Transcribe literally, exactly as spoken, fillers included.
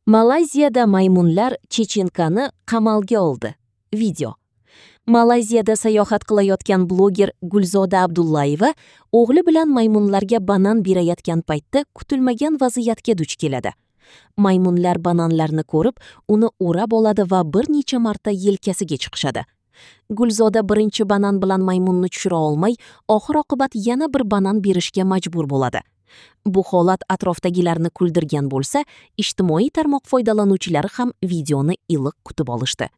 Malayziyada maymunlar chechenkani qamalga oldi. Video. Malayziyada sayohat qilayotgan bloger Gulzoda Abdullayeva o'g'li bilan maymunlarga banan berayotgan paytda kutilmagan vaziyatga duch keladi. Maymunlar bananlarni ko'rib, uni o'rab oladi va bir necha marta yelkasiga chiqishadi. Gulzoda birinchi banan bilan maymunni tushira olmay, oxir-oqibat yana bir banan berishga majbur bo'ladi. Bu holat atrofdagilarni kuldirgan bo'lsa, ijtimoiy tarmoq foydalanuvchilari ham videoni iliq kutib olishdi.